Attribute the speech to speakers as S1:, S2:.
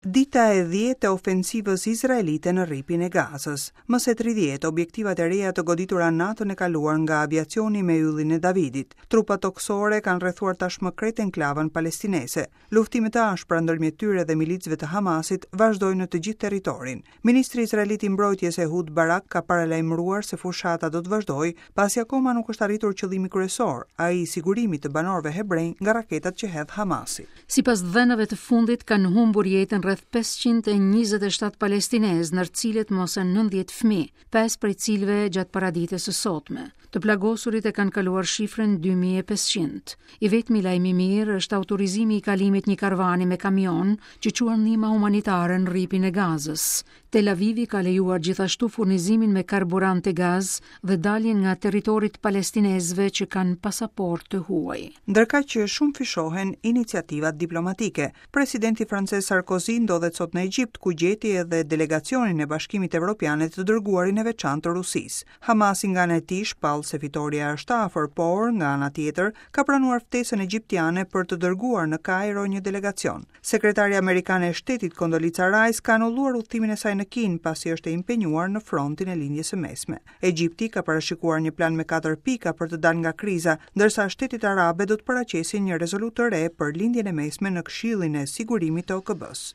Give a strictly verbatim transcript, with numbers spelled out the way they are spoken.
S1: Dita e dhjetë e ofensivës izraelite në Rripin e Gazës. Më se tridhjetë objektivat e reja të goditura natën e kaluar nga aviacioni me Yllin e Davidit. Trupat tokësore kanë rrethuar tashmë krejt enklavën palestineze. Luftime të ashpra ndërmjet tyre dhe milicëve të Hamasit vazhdojnë në të gjithë territorin. Ministri izraelit i Mbrojtjes Ehud Barak ka paralajmëruar se fushata do të vazhdojë, pasi akoma nuk është arritur qëllimi kryesor, ai i sigurimit të banorëve hebrenj nga raketat që hedh Hamasi.
S2: Sipas dhënave të fundit, kanë humbur jetën rreth pesëqind e njëzet e shtatë palestinez, ndër cilët më se nëntëdhjetë fëmijë, pesë prej cilëve gjatë paradites së sotme. Të plagosurit e kanë kaluar shifrën dy mijë e pesëqind. I vetmi lajm i mirë është autorizimi i kalimit një karvani me kamion që quan ndihma humanitare në Rripin e Gazës. Tel Avivi ka lejuar gjithashtu furnizimin me karburante, gaz dhe daljen nga territorit palestinezëve që kanë pasaportë të huaj.
S1: Ndërkaq që shumëfishohen iniciativat diplomatike, presidenti francez Sarkozy ndodhet sot në Egjipt, ku gjeti edhe delegacionin e Bashkimit Evropian e të dërguarin e veçantë të Rusisë. Hamasi nga ana e tij shpall se fitoria është afër, por nga ana tjetër ka pranuar ftesën egjiptiane për të dërguar në Kairo një delegacion. Sekretarja amerikane e Shtetit Condoleezza Rice ka anulluar udhëtimin e saj në Kinë, pasi është e impenjuar në frontin e Lindjes së Mesme. Egjipti ka parashikuar një plan me katër pika për të dalë nga kriza, ndërsa shtetet arabe do të paraqesin një rezolutë të re për Lindjen e Mesme në Këshillin e Sigurimit të O K B-s.